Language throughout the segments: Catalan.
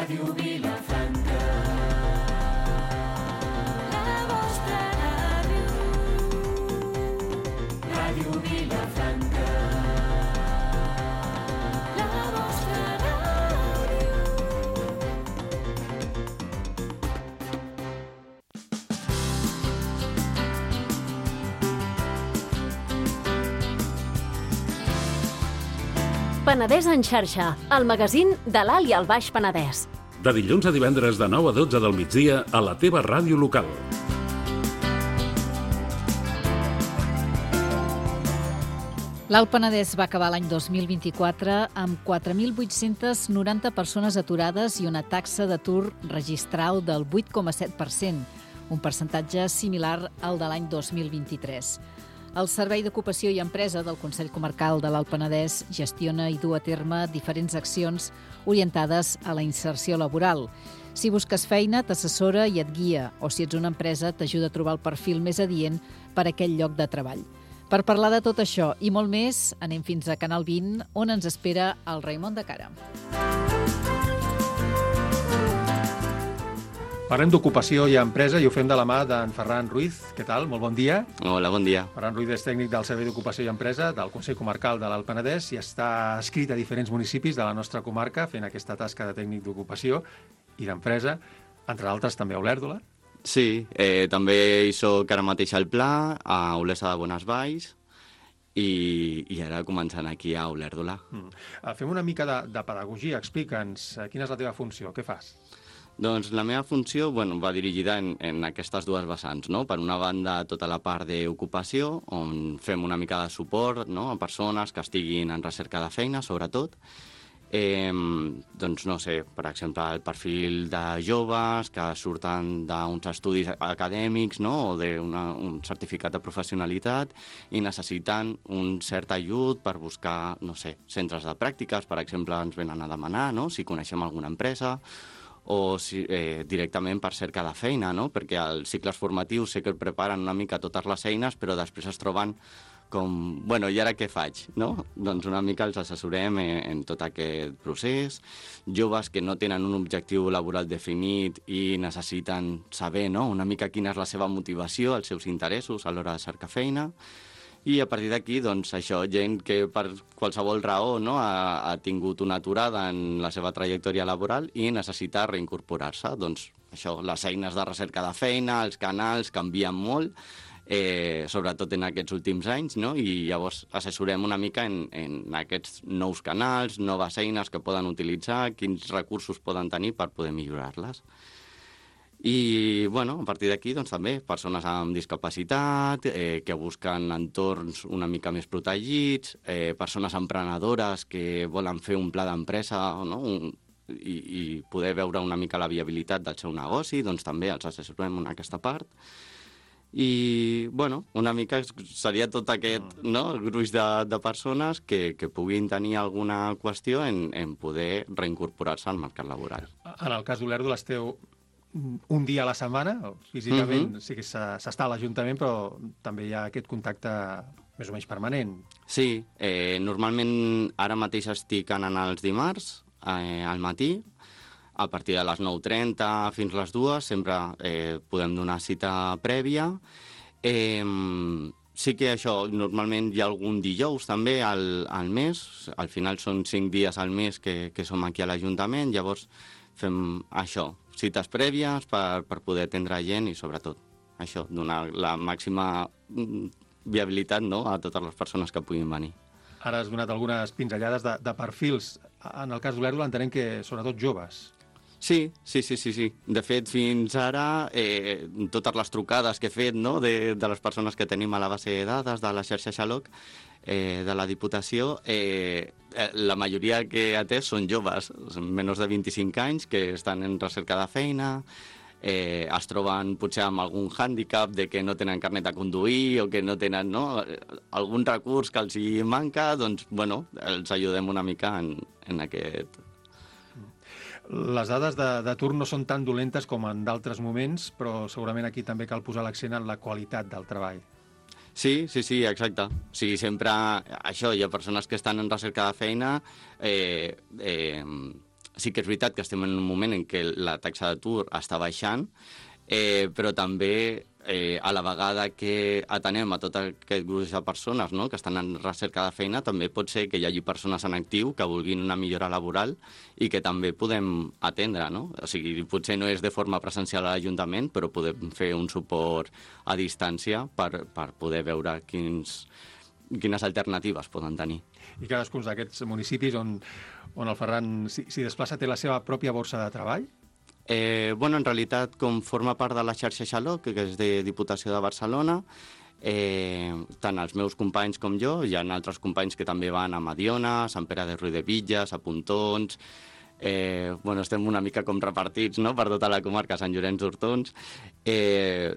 Ràdio Vilafranca. La vostra ràdio. Ràdio Vilafranca. La vostra ràdio. Penedès en xarxa, el magazín de l'Alt i el Baix Penedès. De dilluns a divendres de 9 a 12 del migdia a la teva ràdio local. L'Alt Penedès va acabar l'any 2024 amb 4.890 persones aturades i una taxa d'atur registral del 8,7%, un percentatge similar al de l'any 2023. El Servei d'Ocupació i Empresa del Consell Comarcal de l'Alt Penedès gestiona i du a terme diferents accions orientades a la inserció laboral. Si busques feina, t'assessora i et guia, o si ets una empresa, t'ajuda a trobar el perfil més adient per a aquell lloc de treball. Per parlar de tot això i molt més, anem fins a Canal 20, on ens espera el Raimon de Cara. Parlem d'ocupació i empresa i ho fem de la mà d'en Ferran Ruiz. Què tal? Molt bon dia. Hola, bon dia. Ferran Ruiz és tècnic del Servei d'Ocupació i Empresa del Consell Comarcal de l'Alt Penedès i està adscrit a diferents municipis de la nostra comarca fent aquesta tasca de tècnic d'ocupació i d'empresa, entre altres també a Olèrdola. Sí, també hi soc ara mateix al Pla, a Olesa de Bonesvalls i ara començant aquí a Olèrdola. Fem una mica de pedagogia. Explica'ns quina és la teva funció, què fas? Doncs la meva funció va dirigida en aquestes dues vessants, no? Per una banda, tota la part d'ocupació, on fem una mica de suport, no? A persones que estiguin en recerca de feina, sobretot. Doncs no sé, per exemple, el perfil de joves que surten d'uns estudis acadèmics, no? O d'un certificat de professionalitat i necessiten un cert ajut per buscar, no sé, centres de pràctiques, per exemple, ens venen a demanar, no? Si coneixem alguna empresa, o directament per cerca de feina, no? Perquè els cicles formatius sé que preparen una mica totes les eines, però després es troben com, bueno, i ara què faig, no? Doncs una mica els assessorem en tot aquest procés. Joves que no tenen un objectiu laboral definit i necessiten saber, no?, una mica quina és la seva motivació, els seus interessos a l'hora de cercar feina. I a partir d'aquí, doncs, això, gent que per qualsevol raó, no, ha tingut una aturada en la seva trajectòria laboral i necessita reincorporar-se. Doncs això, les eines de recerca de feina, els canals canvien molt, sobretot en aquests últims anys, no? I llavors assessorem una mica en aquests nous canals, noves eines que poden utilitzar, quins recursos poden tenir per poder millorar-les. I, bueno, a partir d'aquí, doncs, també, persones amb discapacitat, que busquen entorns una mica més protegits, persones emprenedores que volen fer un pla d'empresa, no?, i poder veure una mica la viabilitat del seu negoci, doncs també els assessorem en aquesta part. I, bueno, una mica seria tot aquest, no?, gruix de persones que puguin tenir alguna qüestió en poder reincorporar-se al mercat laboral. En el cas d'Olèrdola esteu un dia a la setmana, físicament sí que s'està a l'Ajuntament, però també hi ha aquest contacte més o menys permanent. Sí, normalment ara mateix estic anant els dimarts al matí, a partir de les 9:30 fins les 2, sempre podem donar cita prèvia. Sí que això, normalment hi ha algun dijous també al mes, al final són 5 dies al mes que som aquí a l'Ajuntament, llavors fem això, cites prèvies per poder atendre gent i, sobretot, això, donar la màxima viabilitat, no?, a totes les persones que puguin venir. Ara has donat algunes pinzellades de perfils. En el cas d'Olèrdola entenem que sobretot joves. Sí. De fet, fins ara, totes les trucades que he fet, no?, de les persones que tenim a la base de dades de la xarxa Xaloc, de la Diputació, la majoria que he atès són joves, menys de 25 anys, que estan en recerca de feina, es troben potser amb algun hàndicap de que no tenen carnet de conduir o que no tenen, no?, algun recurs que els hi manca, doncs, bueno, els ajudem una mica en aquest. Les dades d'atur no són tan dolentes com en d'altres moments, però segurament aquí també cal posar l'accent en la qualitat del treball. Sí, exacte. O sigui, sempre això, hi ha persones que estan en recerca de feina, sí que és veritat que estem en un moment en què la taxa d'atur està baixant, però també a la vegada que atenem a tot aquest gruix de persones, no?, que estan en recerca de feina, també pot ser que hi hagi persones en actiu que vulguin una millora laboral i que també podem atendre, no? O sigui, potser no és de forma presencial a l'Ajuntament, però podem fer un suport a distància per poder veure quines alternatives poden tenir. I cadascun d'aquests municipis on el Ferran s'hi desplaça té la seva pròpia borsa de treball? Bueno, en realitat, com forma part de la xarxa Xaloc, que és de Diputació de Barcelona, tant els meus companys com jo, hi ha altres companys que també van a Mediona, a Sant Pere de Riudebitlles, a Pontons. Bueno, estem una mica com repartits, no?, per tota la comarca, Sant Llorenç d'Hortons.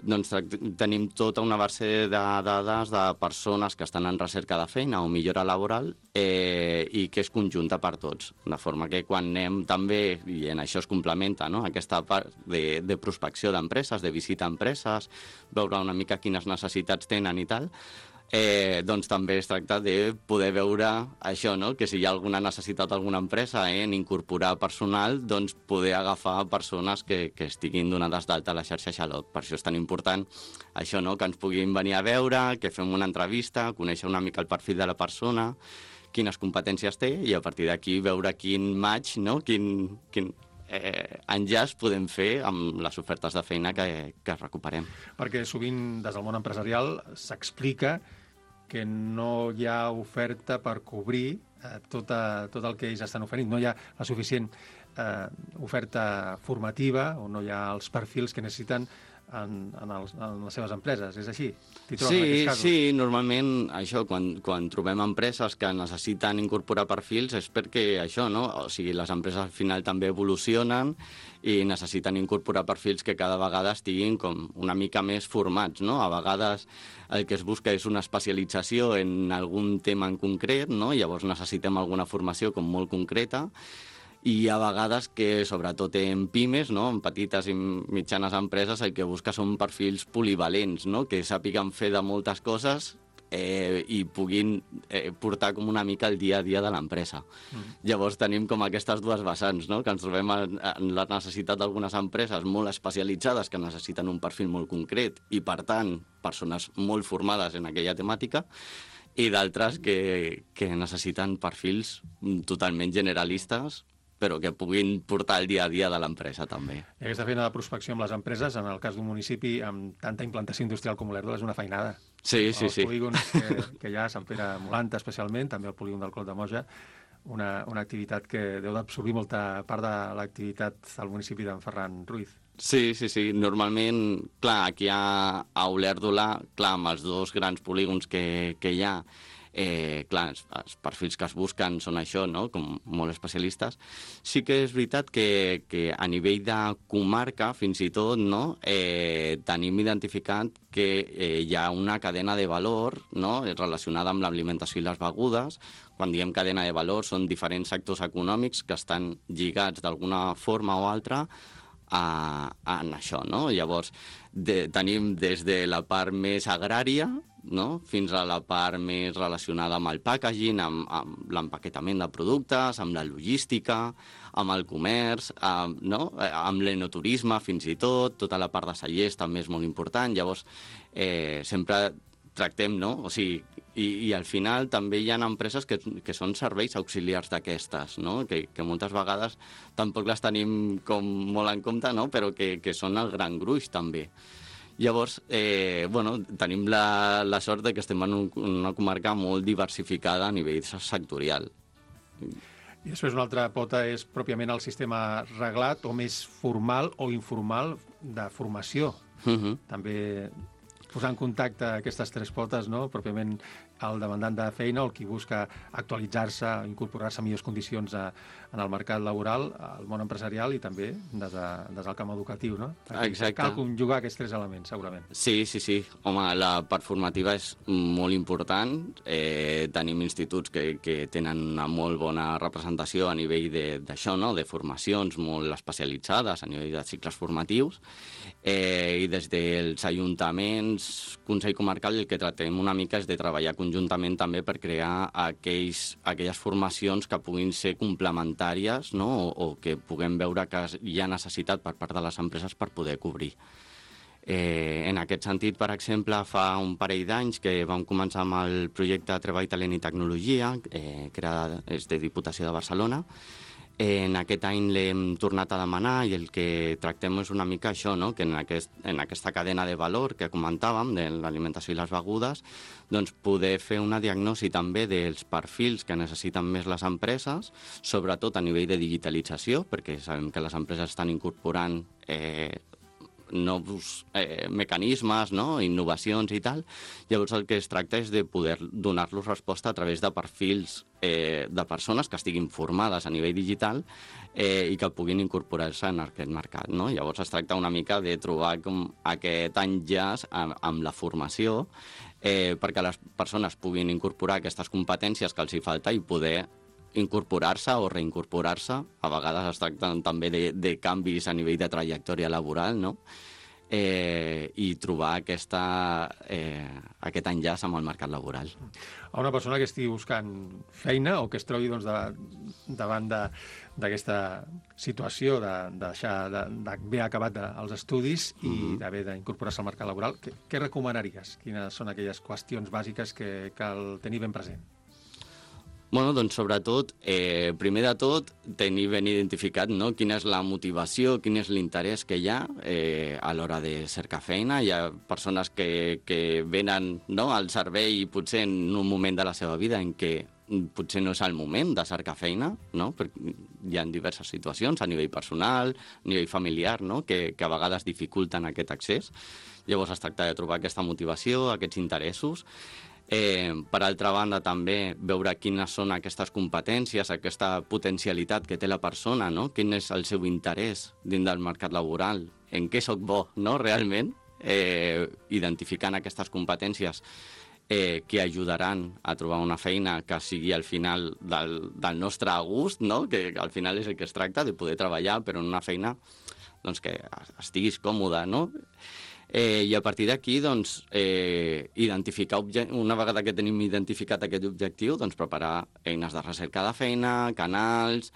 Doncs tenim tota una base de dades de persones que estan en recerca de feina o millora laboral i que és conjunta per tots, de forma que quan anem també, i en això es complementa, no?, aquesta part de prospecció d'empreses, de visita a empreses, veure una mica quines necessitats tenen i tal, doncs també es tracta de poder veure això, no?, que si hi ha alguna necessitat d'alguna empresa en incorporar personal, doncs poder agafar persones que estiguin donades d'alta a la xarxa Xaloc. Per això és tan important això, no?, que ens puguin venir a veure, que fem una entrevista, conèixer una mica el perfil de la persona, quines competències té, i a partir d'aquí veure quin match, no?, quin enllaç podem fer amb les ofertes de feina que recuperem. Perquè sovint des del món empresarial s'explica que no hi ha oferta per cobrir tot el que ells estan oferint. No hi ha la suficient oferta formativa o no hi ha els perfils que necessiten en les seves empreses. És així? Sí, normalment això, quan trobem empreses que necessiten incorporar perfils és perquè això, no? O sigui, les empreses al final també evolucionen i necessiten incorporar perfils que cada vegada estiguin com una mica més formats, no? A vegades el que es busca és una especialització en algun tema en concret, no? Llavors necessitem alguna formació com molt concreta, i a vegades que, sobretot en pimes, no?, en petites i mitjanes empreses, el que busca són perfils polivalents, no?, que sàpiguen fer de moltes coses i puguin portar com una mica el dia a dia de l'empresa. Llavors tenim com aquestes dues vessants, no?, que ens trobem en la necessitat d'algunes empreses molt especialitzades que necessiten un perfil molt concret i, per tant, persones molt formades en aquella temàtica, i d'altres que necessiten perfils totalment generalistes però que puguin portar el dia a dia de l'empresa, també. I aquesta feina de prospecció amb les empreses, en el cas d'un municipi amb tanta implantació industrial com Olèrdola, és una feinada. Sí. Els polígons que hi ha, Sant Pere Molanta especialment, també el polígon del Clot de Moja, una activitat que deu d'absorbir molta part de l'activitat del municipi d'en Ferran Ruiz. Sí. Normalment, clar, aquí a Olèrdola, clar, amb els dos grans polígons que hi ha, clar, els perfils que es busquen són això, no?, com molt especialistes. Sí que és veritat que a nivell de comarca, fins i tot, no?, tenim identificat que hi ha una cadena de valor, no?, relacionada amb l'alimentació i les begudes. Quan diem cadena de valor són diferents sectors econòmics que estan lligats d'alguna forma o altra en això, no? Llavors, tenim des de la part més agrària, no?, fins a la part més relacionada amb el packaging, amb l'empaquetament de productes, amb la logística, amb el comerç, no?, amb l'enoturisme fins i tot, tota la part de cellers també és molt important. Llavors, sempre tractem, no?, o sigui, i al final també hi ha empreses que són serveis auxiliars d'aquestes, no?, que moltes vegades tampoc les tenim com molt en compte, no?, però que són el gran gruix també. Llavors, tenim la sort de que estem en una comarca molt diversificada a nivell sectorial. I després una altra pota és pròpiament el sistema reglat o més formal o informal de formació. També posar en contacte aquestes tres potes, no?, pròpiament el demandant de feina o el qui busca actualitzar-se, incorporar-se a millors condicions en el mercat laboral, al món empresarial i també des del camp educatiu, no? Exacte. Cal conjugar aquests tres elements, segurament. Sí. Home, la part formativa és molt important. Tenim instituts que tenen una molt bona representació a nivell d'això, no?, de formacions molt especialitzades a nivell de cicles formatius. I des dels ajuntaments, Consell Comarcal, el que tractem una mica és de treballar conjuntament conjuntament també per crear aquelles formacions que puguin ser complementàries, no? o que puguem veure que hi ha necessitat per part de les empreses per poder cobrir. En aquest sentit, per exemple, fa un parell d'anys que vam començar amb el projecte Treball, Talent i Tecnologia, que és de Diputació de Barcelona. En aquest any l'hem tornat a demanar i el que tractem és una mica això, no? Que en aquesta cadena de valor que comentàvem, de l'alimentació i les begudes, doncs poder fer una diagnosi també dels perfils que necessiten més les empreses, sobretot a nivell de digitalització, perquè sabem que les empreses estan incorporant nous mecanismes, no? Innovacions i tal. Llavors el que es tracta és de poder donar-los resposta a través de perfils de persones que estiguin formades a nivell digital i que puguin incorporar-se en aquest mercat, no? Llavors es tracta una mica de trobar com aquest enllaç amb la formació perquè les persones puguin incorporar aquestes competències que els hi falta i poder incorporar-se o reincorporar-se. A vegades es tracta també de canvis a nivell de trajectòria laboral, no? I trobar aquest enllaç amb el mercat laboral. A una persona que estigui buscant feina o que es trobi doncs, davant d'aquesta situació d'haver acabat els estudis i d'haver d'incorporar-se al mercat laboral, què recomanaries? Quines són aquelles qüestions bàsiques que cal tenir ben present? Bueno, doncs sobretot, primer de tot, tenir ben identificat, no? Quina és la motivació, quin és l'interès que hi ha a l'hora de cercar feina. Hi ha persones que venen, no, al servei potser en un moment de la seva vida en què potser no és el moment de cercar feina, no? Perquè hi ha diverses situacions a nivell personal, a nivell familiar, no? que a vegades dificulten aquest accés. Llavors es tracta de trobar aquesta motivació, aquests interessos. Per altra banda, també veure quines són aquestes competències, aquesta potencialitat que té la persona, no? Quin és el seu interès dins del mercat laboral, en què soc bo, no? Realment, identificant aquestes competències que ajudaran a trobar una feina que sigui al final del nostre gust, no? Que al final és el que es tracta, de poder treballar, però en una feina doncs, que estiguis còmode, no? I a partir d'aquí, doncs, identificar, una vegada que tenim identificat aquest objectiu, doncs preparar eines de recerca de feina, canals.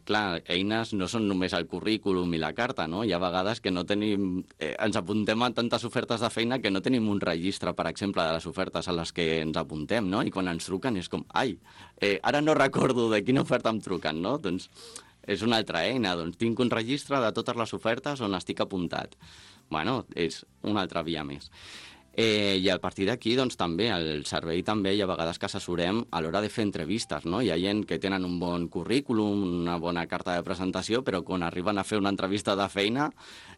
Clar, eines no són només el currículum i la carta, no? Hi ha vegades que no tenim... ens apuntem a tantes ofertes de feina que no tenim un registre, per exemple, de les ofertes a les que ens apuntem, no? I quan ens truquen és com, ai, ara no recordo de quina oferta em truquen, no? Doncs és una altra eina, doncs tinc un registre de totes les ofertes on estic apuntat. Bueno, és una altra via més. I a partir d'aquí, doncs, també, al servei també hi ha vegades que assessorem a l'hora de fer entrevistes, no? Hi ha gent que tenen un bon currículum, una bona carta de presentació, però quan arriben a fer una entrevista de feina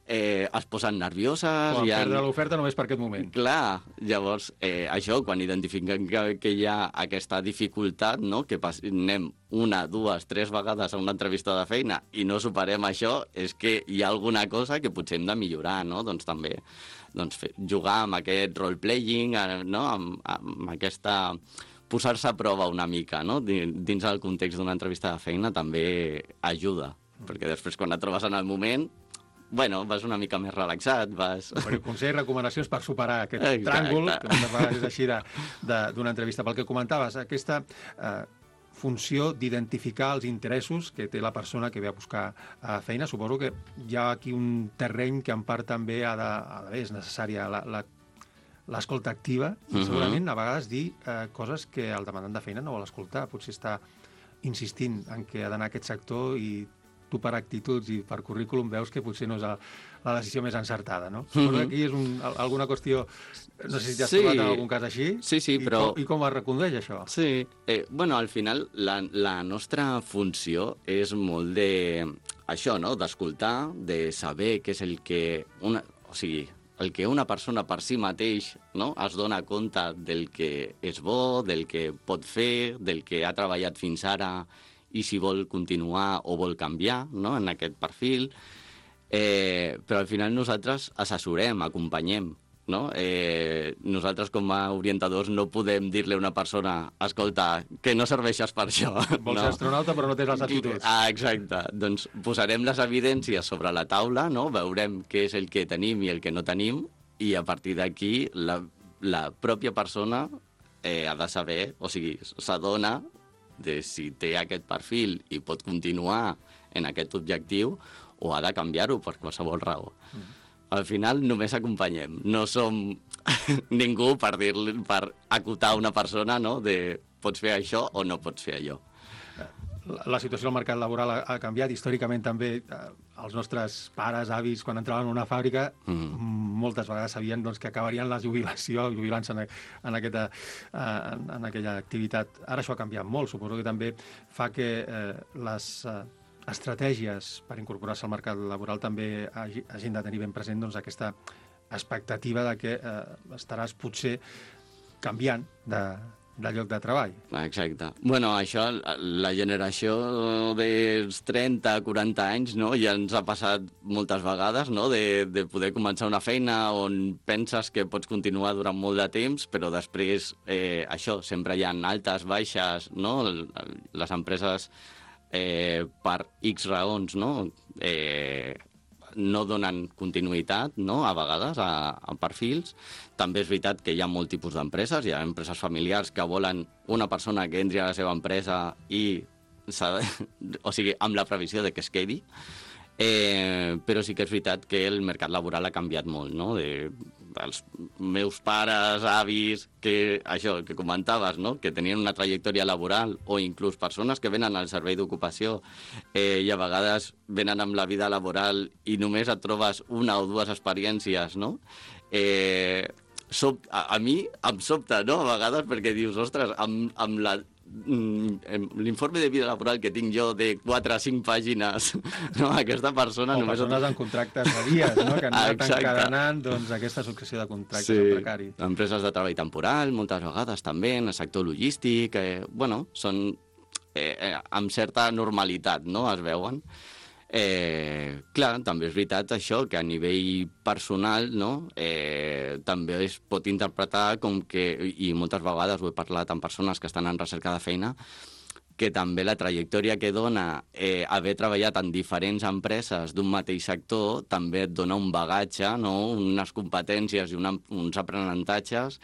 es posen nervioses... Quan perdre l'oferta només per aquest moment. Clar, llavors, això, quan identifiquem que hi ha aquesta dificultat, no? Que anem 1, 2, 3 vegades a una entrevista de feina i no superem això, és que hi ha alguna cosa que potser hem de millorar, no? Doncs també jugar amb aquest role-playing, no? amb aquesta... posar-se a prova una mica, no? Dins del context d'una entrevista de feina també ajuda, perquè després quan et trobes en el moment, bueno, vas una mica més relaxat, vas... Consells, recomanacions per superar aquest tràngol, que moltes vegades és així d'una entrevista. Pel que comentaves, aquesta funció d'identificar els interessos que té la persona que ve a buscar feina. Suposo que hi ha aquí un terreny que en part també és necessària l'escolta activa i segurament a vegades dir coses que el demandant de feina no vol escoltar. Potser està insistint en què ha d'anar a aquest sector i tu per actituds i per currículum veus que potser no és la decisió més encertada, no? Suposo que aquí és alguna qüestió... No sé si t'has trobat en algun cas així. Sí, però... I com es recondueix això? Sí. Bueno, al final la nostra funció és molt això, no? D'escoltar, de saber què és el que... O sigui, el que una persona per si mateix, no? Es dona compte del que és bo, del que pot fer, del que ha treballat fins ara i si vol continuar o vol canviar, no? En aquest perfil. Però al final nosaltres assessorem, acompanyem, no? Nosaltres com a orientadors no podem dir-li a una persona escolta, que no serveixes per això. Vols ser astronauta però no tens les aptituds. Exacte. Doncs posarem les evidències sobre la taula, no? Veurem què és el que tenim i el que no tenim i a partir d'aquí la pròpia persona ha de saber, o sigui, s'adona de si té aquest perfil i pot continuar en aquest objectiu o ha de canviar-ho per qualsevol raó. Al final només acompanyem, no som ningú per acotar una persona, no?, de pots fer això o no pots fer allò. La situació del mercat laboral ha canviat. Històricament també els nostres pares, avis, quan entraven en una fàbrica, moltes vegades sabien doncs, que acabarien la jubilació, jubilant-se en aquella activitat. Ara això ha canviat molt. Suposo que també fa que les estratègies per incorporar-se al mercat laboral també hagin de tenir ben present doncs, aquesta expectativa de que estaràs potser canviant de lloc de treball. Exacte. Bueno, això, la generació dels 30-40 anys, no?, ja ens ha passat moltes vegades, no?, de poder començar una feina on penses que pots continuar durant molt de temps, però després, això, sempre hi ha altes, baixes, no?, les empreses, per X raons, no?, no donen continuïtat, no?, a vegades, a perfils. També és veritat que hi ha molt tipus d'empreses. Hi ha empreses familiars que volen una persona que entri a la seva empresa i, o sigui, amb la previsió de que es quedi. Però sí que és veritat que el mercat laboral ha canviat molt, no?, dels meus pares, avis, que això que comentaves, no?, que tenien una trajectòria laboral, o inclús persones que venen al servei d'ocupació i a vegades venen amb la vida laboral i només et trobes una o dues experiències, no? A mi em sobta, no?, a vegades, perquè dius, ostres, amb l'informe de vida laboral que tinc jo de 4 a 5 pàgines, no? Aquesta persona... O només persones amb contractes de dies, no?, que han anat encadenant doncs, aquesta successió de contractes precaris. Empreses de treball temporal, moltes vegades també, en el sector logístic, bueno, són amb certa normalitat, no?, es veuen. Clar, també és veritat això, que a nivell personal, no?, també es pot interpretar com que, i moltes vegades ho he parlat amb persones que estan en recerca de feina, que també la trajectòria que dona haver treballat en diferents empreses d'un mateix sector també et dona un bagatge, no?, unes competències i uns aprenentatges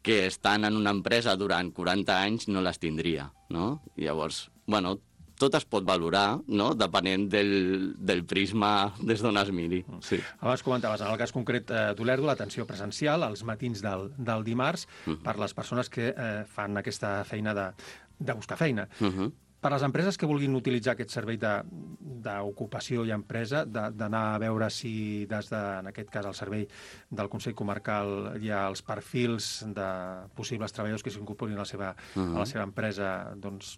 que estan en una empresa durant 40 anys no les tindria, no? Llavors, bueno, tot es pot valorar, no?, depenent del prisma des d'on es miri. Sí. Abans comentaves, en el cas concret d'Olerdo, l'atenció presencial als matins del dimarts per les persones que fan aquesta feina de buscar feina. Per les empreses que vulguin utilitzar aquest servei d'ocupació i empresa, d'anar a veure si des de, en aquest cas, el servei del Consell Comarcal hi ha els perfils de possibles treballadors que s'incorporin a la seva empresa, doncs,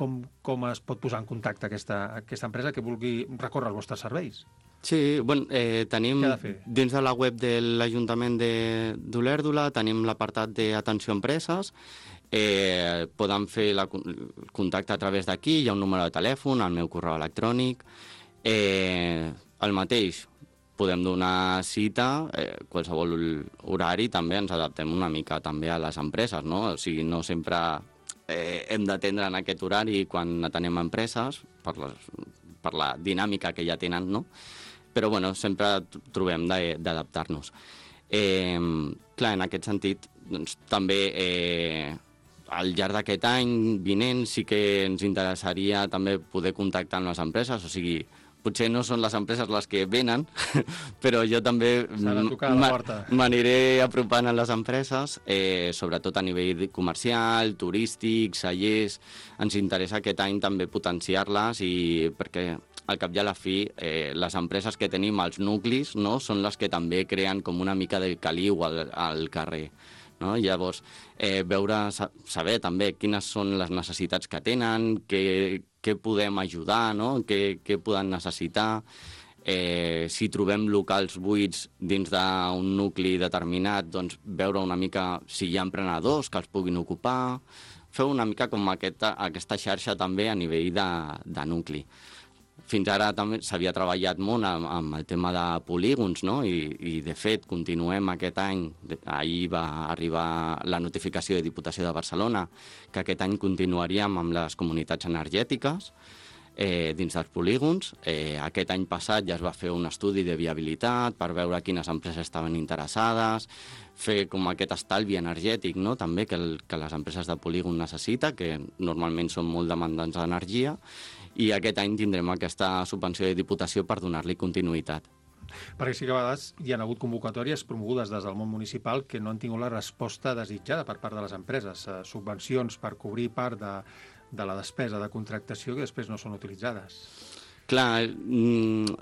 com es pot posar en contacte aquesta empresa que vulgui recórrer als vostres serveis? Sí, bueno, tenim dins de la web de l'Ajuntament d'Olèrdola, tenim l'apartat d'atenció a empreses, poden fer el contacte a través d'aquí, hi ha un número de telèfon, el meu correu electrònic, el mateix, podem donar cita, qualsevol horari, també ens adaptem una mica també a les empreses, no? O sigui, no sempre hem d'atendre en aquest horari quan atenem empreses, per la dinàmica que ja tenen, no? Però, bueno, sempre trobem d'adaptar-nos. Clar, en aquest sentit, doncs, també al llarg d'aquest any vinent sí que ens interessaria també poder contactar amb les empreses, o sigui, potser no són les empreses les que venen, però jo també m'aniré apropant a les empreses, sobretot a nivell comercial, turístic, cellers. Ens interessa aquest any també potenciar-les, i perquè al cap i a la fi les empreses que tenim als nuclis, no, són les que també creen com una mica de caliu al carrer. No? Llavors, saber també quines són les necessitats que tenen, què podem ajudar, no? Què poden necessitar, si trobem locals buits dins d'un nucli determinat, doncs veure una mica si hi ha emprenedors que els puguin ocupar, fer una mica com aquesta xarxa també a nivell de nucli. Fins ara també s'havia treballat molt amb el tema de polígons, no? I de fet continuem aquest any. Ahir va arribar la notificació de Diputació de Barcelona que aquest any continuaríem amb les comunitats energètiques. dins dels polígons. Aquest any passat ja es va fer un estudi de viabilitat per veure quines empreses estaven interessades, fer com aquest estalvi energètic, no? També que les empreses de polígon necessita, que normalment són molt demandants d'energia, i aquest any tindrem aquesta subvenció de Diputació per donar-li continuïtat. Perquè sí que a vegades hi ha hagut convocatòries promogudes des del món municipal que no han tingut la resposta desitjada per part de les empreses, subvencions per cobrir part de la despesa de contractació que després no són utilitzades. Clar,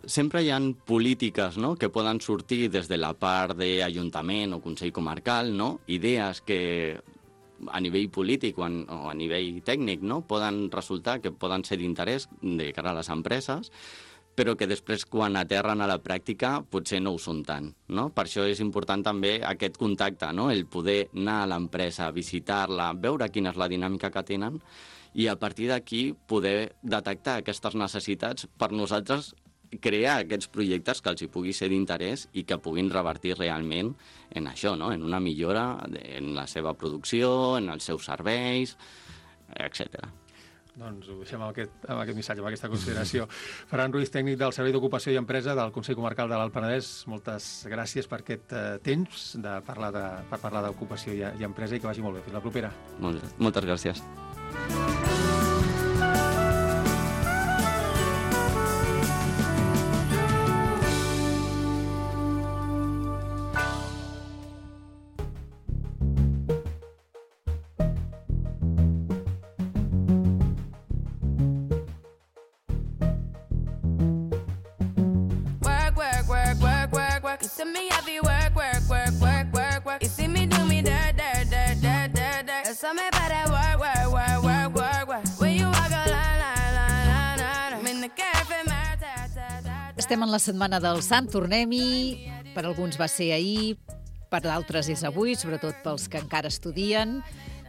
sempre hi ha polítiques, no?, que poden sortir des de la part d'Ajuntament o Consell Comarcal, no?, idees que a nivell polític o a nivell tècnic, no?, poden resultar que poden ser d'interès de cara a les empreses, però que després, quan aterren a la pràctica, potser no ho són tant, no? Per això és important també aquest contacte, no?, el poder anar a l'empresa, visitar-la, veure quina és la dinàmica que tenen, i a partir d'aquí poder detectar aquestes necessitats per nosaltres crear aquests projectes que els hi pugui ser d'interès i que puguin revertir realment en això, no?, en una millora en la seva producció, en els seus serveis, etc. Doncs ho deixem amb aquest missatge, amb aquesta consideració. Ferran Ruiz, tècnic del Servei d'Ocupació i Empresa del Consell Comarcal de l'Alt Penedès, moltes gràcies per aquest temps per parlar d'ocupació i empresa, i que vagi molt bé. Fins la propera. Moltes gràcies. You see me happy work. You see me do me dirt. So me better work. When you walk a line. I'm in the cafe, Estem en la setmana del Sant, tornem-hi. Per alguns va ser ahir, per d'altres és avui, sobretot pels que encara estudien.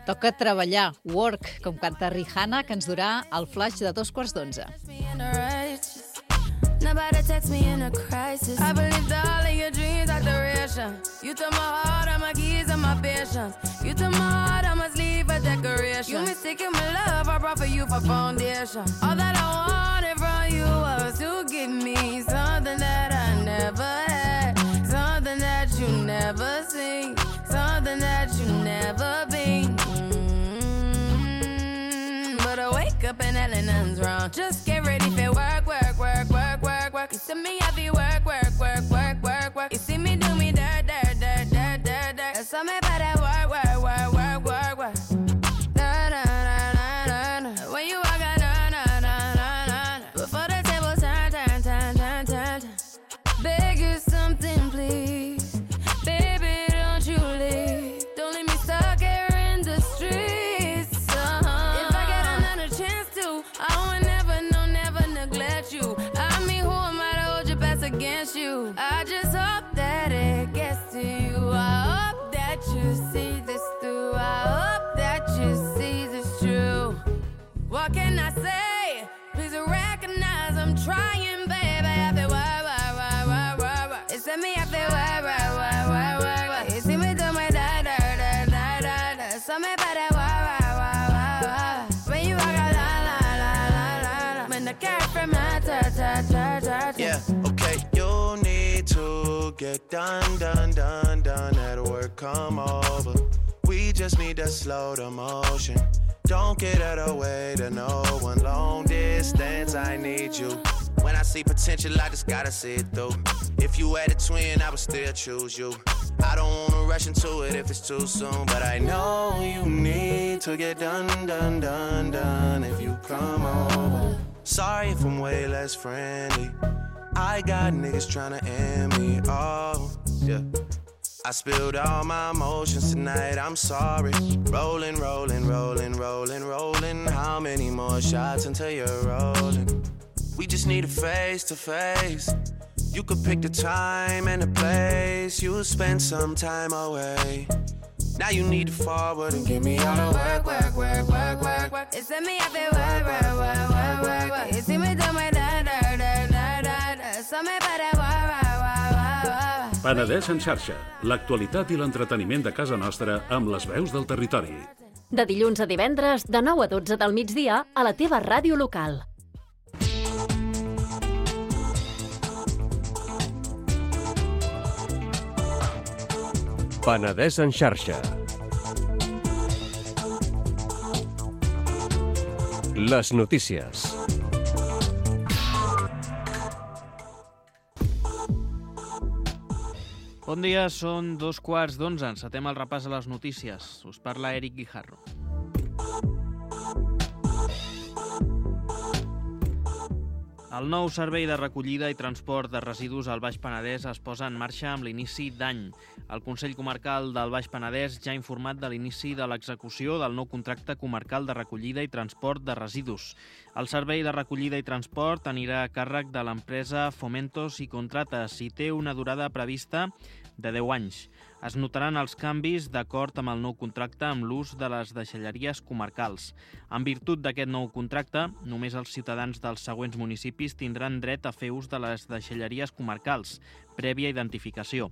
Toca treballar, work, com canta Rihanna, que ens durà el flash de 11:45. Nobody text me in a crisis. I believed all of your dreams are duration. You took my heart, all my keys, and my patience. You took my heart, I must leave a decoration. You mistaken my love, I brought for you for foundation. All that I wanted from you was to give me something that I never had, something that you never seen, something that you never been. But I wake up and hell nothing's wrong. Just get ready for work. You see me happy work. You see me do me dirt. So me better work. When you walk out, before the table turn. Beg you something, please. Baby, don't you leave. Don't leave me stuck here in the streets. If I get another chance to, I would never neglect you. Against you, I just hope that it gets to you. I hope that you see this through. I hope that you see this true. What can I say? Please recognize I'm trying, baby. I feel work. It's me, I feel work. You see me do my da. So me better work. When you walk out, la. When the cat from my ta. Yeah, okay, you need to get done. At work, come over. We just need to slow the motion. Don't get out of the way to no one. Long distance, I need you. When I see potential, I just gotta see it through. If you had a twin, I would still choose you. I don't wanna rush into it if it's too soon, but I know you need to get done. If you come over. Sorry if I'm way less friendly. I got niggas tryna end me, oh, yeah. I spilled all my emotions tonight, I'm sorry. Rolling. How many more shots until you're rolling? We just need a face to face. You could pick the time and the place. You'll spend some time away. Now you need to forward and give me all the work. It's me, I feel work. You see me do my da. So me better work. Penedès en xarxa, l'actualitat i l'entreteniment de casa nostra amb les veus del territori. De dilluns a divendres, de 9 a 12 del migdia, a la teva ràdio local. Penedès en xarxa. Les notícies. Bon dia, són 2:15. Encetem el repàs a les notícies. Us parla Eric Guijarro. El nou servei de recollida i transport de residus al Baix Penedès es posa en marxa amb l'inici d'any. El Consell Comarcal del Baix Penedès ja ha informat de l'inici de l'execució del nou contracte comarcal de recollida i transport de residus. El servei de recollida i transport anirà a càrrec de l'empresa Fomentos i Contrates i té una durada prevista de 10 anys. Es notaran els canvis d'acord amb el nou contracte amb l'ús de les deixalleries comarcals. En virtut d'aquest nou contracte, només els ciutadans dels següents municipis tindran dret a fer ús de les deixalleries comarcals, prèvia identificació: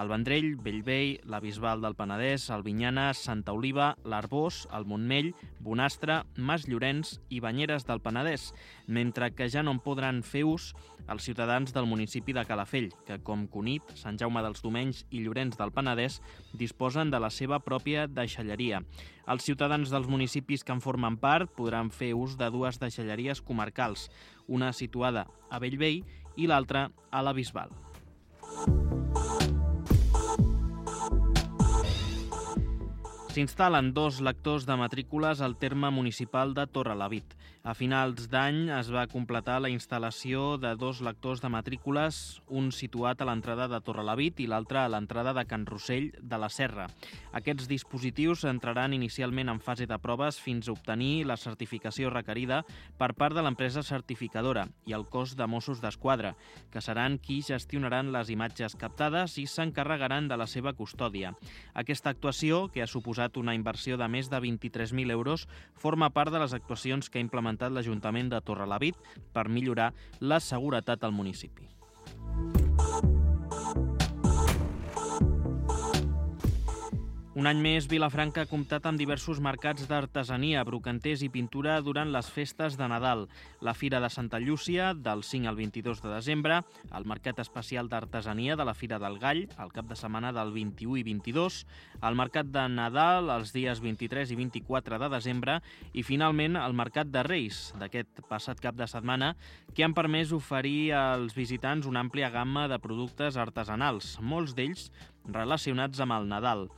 el Vendrell, Bellvei, la Bisbal del Penedès, Albinyana, Santa Oliva, l'Arbós, el Montmell, Bonastre, Mas Llorenç i Banyeres del Penedès, mentre que ja no en podran fer ús els ciutadans del municipi de Calafell, que com Cunit, Sant Jaume dels Domenys i Llorenç del Penedès disposen de la seva pròpia deixalleria. Els ciutadans dels municipis que en formen part podran fer ús de dues deixalleries comarcals, una situada a Bellvei i l'altra a la Bisbal. S'instal·len 2 lectors de matrícules al terme municipal de Torrelavit. A finals d'any es va completar la instal·lació de 2 lectors de matrícules, un situat a l'entrada de Torrelavit i l'altre a l'entrada de Can Rossell de la Serra. Aquests dispositius entraran inicialment en fase de proves fins a obtenir la certificació requerida per part de l'empresa certificadora i el cos de Mossos d'Esquadra, que seran qui gestionaran les imatges captades i s'encarregaran de la seva custòdia. Aquesta actuació, que ha suposat una inversió de més de 23.000 euros, forma part de les actuacions que ha implementat l'Ajuntament de Torrelavit per millorar la seguretat al municipi. Un any més, Vilafranca ha comptat amb diversos mercats d'artesania, brocanters i pintura durant les festes de Nadal. La Fira de Santa Llúcia, del 5 al 22 de desembre, el Mercat Especial d'Artesania de la Fira del Gall, el cap de setmana del 21 i 22, el Mercat de Nadal, els dies 23 i 24 de desembre, i finalment el Mercat de Reis, d'aquest passat cap de setmana, que han permès oferir als visitants una àmplia gamma de productes artesanals, molts d'ells relacionats amb el Nadal.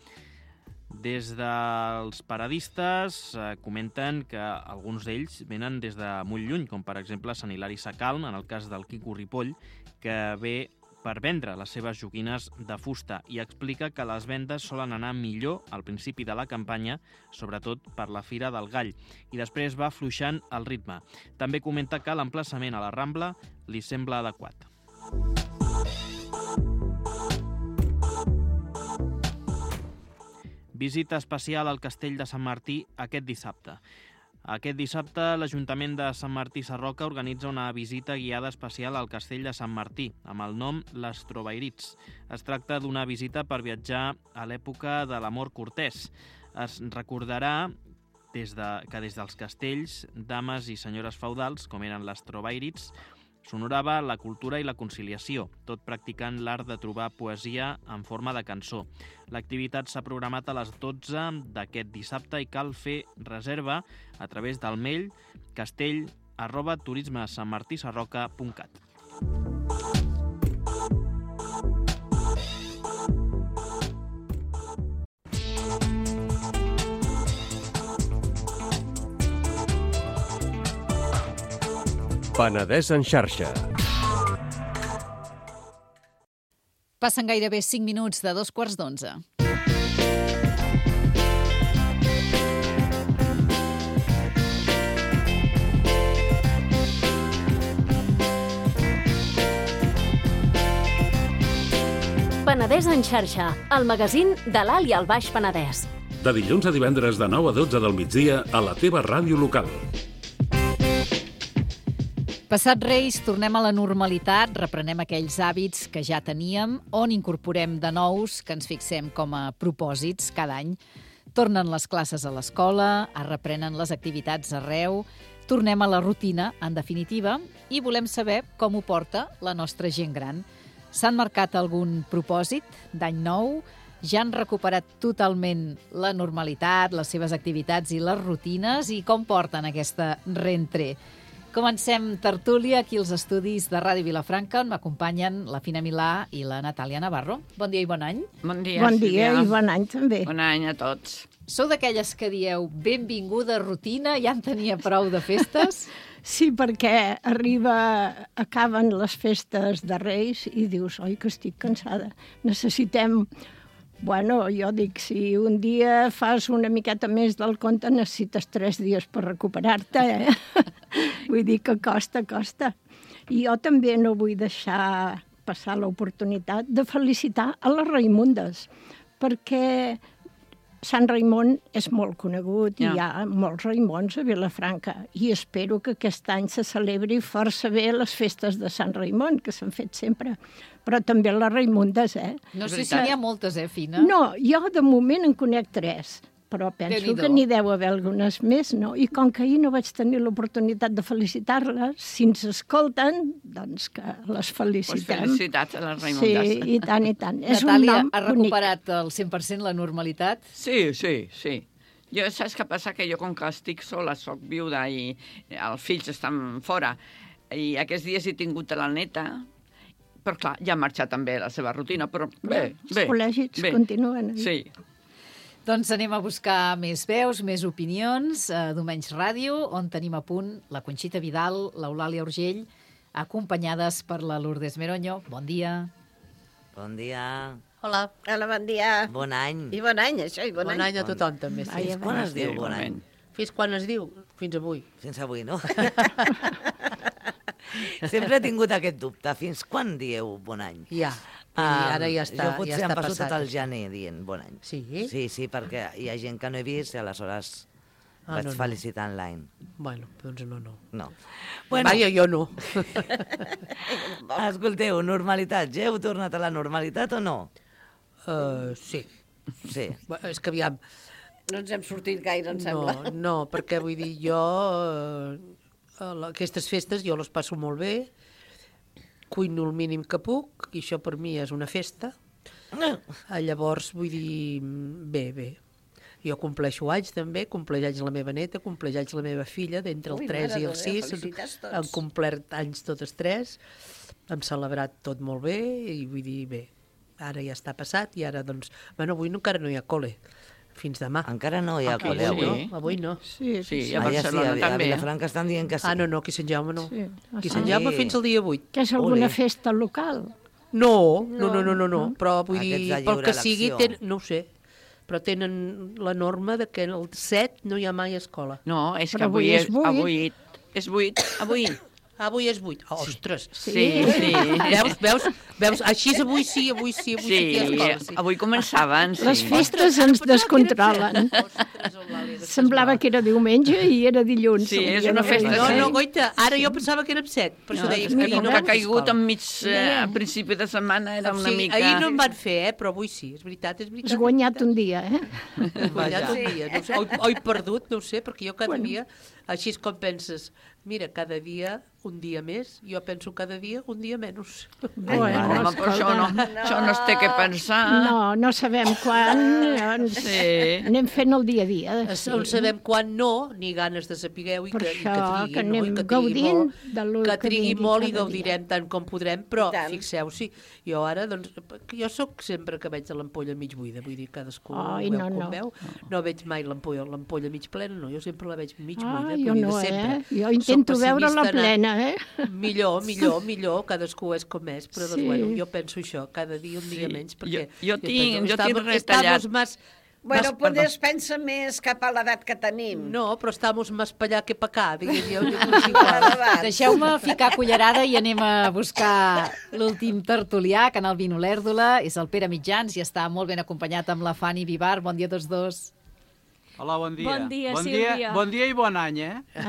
Des dels paradistes comenten que alguns d'ells venen des de molt lluny, com per exemple Sant Hilari Sacalm, en el cas del Quico Ripoll, que ve per vendre les seves joguines de fusta i explica que les vendes solen anar millor al principi de la campanya, sobretot per la Fira del Gall, i després va afluixant el ritme. També comenta que l'emplaçament a la Rambla li sembla adequat. Visita especial al Castell de Sant Martí aquest dissabte. Aquest dissabte, l'Ajuntament de Sant Martí Sarroca organitza una visita guiada especial al Castell de Sant Martí, amb el nom Les Trovairits. Es tracta d'una visita per viatjar a l'època de l'amor cortès. Es recordarà que des dels castells, dames i senyores feudals, com eren les Trovairits, s'honorava la cultura i la conciliació, tot practicant l'art de trobar poesia en forma de cançó. L'activitat s'ha programat a les 12 d'aquest dissabte i cal fer reserva a través del mail castell@turismesanmartisarroca.cat. Penedès en xarxa. Passen gairebé 5 minuts de 2:15. Penedès en xarxa, el magazín de l'Alt i el Baix Penedès. De dilluns a divendres de 9 a 12 del migdia a la teva ràdio local. Passat Reis, tornem a la normalitat, reprenem aquells hàbits que ja teníem, on incorporem de nous que ens fixem com a propòsits cada any. Tornen les classes a l'escola, es reprenen les activitats arreu, tornem a la rutina, en definitiva, i volem saber com ho porta la nostra gent gran. S'han marcat algun propòsit d'any nou? ja han recuperat totalment la normalitat, les seves activitats i les rutines, i com porten aquesta reentré. Comencem tertúlia aquí als estudis de Ràdio Vilafranca, on m'acompanyen la Fina Milà i la Natàlia Navarro. Bon dia i bon any. Bon dia, bon dia Sílvia. I bon any també. Bon any a tots. Sou d'aquelles que dieu benvinguda rutina, ja en tenia prou de festes? Sí, perquè acaben les festes de Reis i dius, oi, que estic cansada. Necessitem... Bueno, jo dic, si un dia fas una miqueta més del compte, necessites 3 dies per recuperar-te, Vull dir que costa. I jo també no vull deixar passar l'oportunitat de felicitar a les Raimundes, perquè Sant Raimon és molt conegut i hi ha molts Raimons a Vilafranca, i espero que aquest any se celebri força bé les festes de Sant Raimon, que s'han fet sempre, però també les Raimundes, No sé si n'hi ha moltes, Fina? No, jo de moment en conec 3, però penso que n'hi deu haver algunes més, no? I com que ahir no vaig tenir l'oportunitat de felicitar-les, si ens escolten, doncs que les felicitem. Pues felicitats a les Raimundes. Sí, i tant. Natàlia, ha recuperat el 100% la normalitat? Sí. Jo, saps què passa? Que jo, com que estic sola, soc viuda i els fills estan fora, i aquests dies he tingut la neta, però clar, ja ha marxat també la seva rutina, però bé. Els col·legis continuen. Sí. Doncs anem a buscar més veus, més opinions a Domenys Ràdio, on tenim a punt la Conxita Vidal, l'Eulàlia Urgell, acompanyades per la Lourdes Meroño. Bon dia. Bon dia. Hola, bon dia. Bon any. I bon any, això, i bon any. Bon any a tothom, també. Fins quan es diu bon any? Fins quan es diu? Fins avui. Fins avui, no? Sempre he tingut aquest dubte. Fins quan dieu bon any? Ja. I ara ja està jo potser em passo passat. tot el gener dient bon any. Sí? Sí, perquè hi ha gent que no he vist i aleshores vaig felicitar online. Bueno, doncs no. Bueno, vaja, jo no. Escolteu, normalitat. Ja heu tornat a la normalitat o no? Sí. És que aviam... No ens hem sortit gaire, em sembla. No, perquè vull dir, jo... Aquestes festes jo les passo molt bé, cuino el mínim que puc, i això per mi és una festa. Llavors, vull dir, bé. Jo compleixo anys també, compleix anys la meva neta, compleix anys la meva filla, d'entre el 3 i el 6. Han complert anys totes 3, hem celebrat tot molt bé, i vull dir, bé, ara ja està passat, i ara, doncs, bueno, avui encara no hi ha col·le. Fins demà. Encara no hi ha col·le avui? Avui no. Sí, a Barcelona també. A Vilafranca estan dient que sí. No, aquí a Sant Jaume no. Aquí a Sant Jaume fins al dia 8. Que és alguna festa local? No. Però vull dir, pel que sigui, no ho sé, però tenen la norma de que el 7 no hi ha mai escola. No, és que avui és 8. Avui és 8. Ostres! Sí. Veus? Així avui sí aquí a escola. Sí. Avui començaven, sí. Les festes ens descontrolen. Semblava que era diumenge i era dilluns. Sí, és una festa. No, goita, ara jo pensava que érem 7. Per això deia que no ha caigut enmig a principi de setmana, era una mica... Ahir no en van fer, però avui sí, és veritat. Has guanyat un dia, Has guanyat un dia. O he perdut, no ho sé, perquè jo cada dia, així és com penses, mira, cada dia un dia més, jo penso cada dia un dia menys. Però això no es té que pensar. No sabem quan. Anem fent el dia a dia. On sabem quan no, ni ganes de sapigueu, i que anem gaudint del que trigui molt i gaudirem tant com podrem, però fixeu-s'hi, jo ara, doncs, jo sóc sempre que veig l'ampolla mig buida, vull dir, cadascú veu com veu. No veig mai l'ampolla mig plena, no, jo sempre la veig mig buida. Jo no, jo intento veure-la plena, Millor, cadascú és com és, però doncs, bueno, jo penso això, cada dia un dia menys, perquè... Jo tinc retallat... Bueno, potser es pensa més cap a l'edat que tenim. No, però estamos més per allà que per acá, digues jo. Deixeu-me ficar cullerada i anem a buscar l'últim tertulià, que en el Vino l'Èrdola, és el Pere Mitjans i està molt ben acompanyat amb la Fanny Vivar. Bon dia a tots dos. Hola, bon dia. Bon dia, Sílvia. Bon dia i bon any,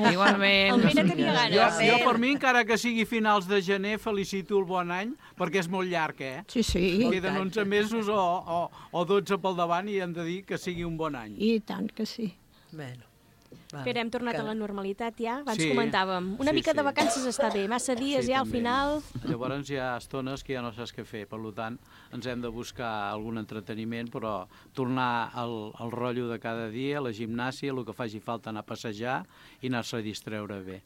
Igualment. El Pere tenia ganes. Jo per mi, encara que sigui finals de gener, felicito el bon any, perquè és molt llarg, Sí. Queden 11 mesos o 12 pel davant i hem de dir que sigui un bon any. I tant que sí. Bueno. Però hem tornat a la normalitat ja, abans Sí. comentàvem. Una mica de vacances està bé, massa dies ja al també. final... Llavors hi ha estones que ja no saps què fer, per tant ens hem de buscar algun entreteniment, però tornar al rotllo de cada dia, a la gimnàsia, el que faci falta anar a passejar i anar-se a distreure bé.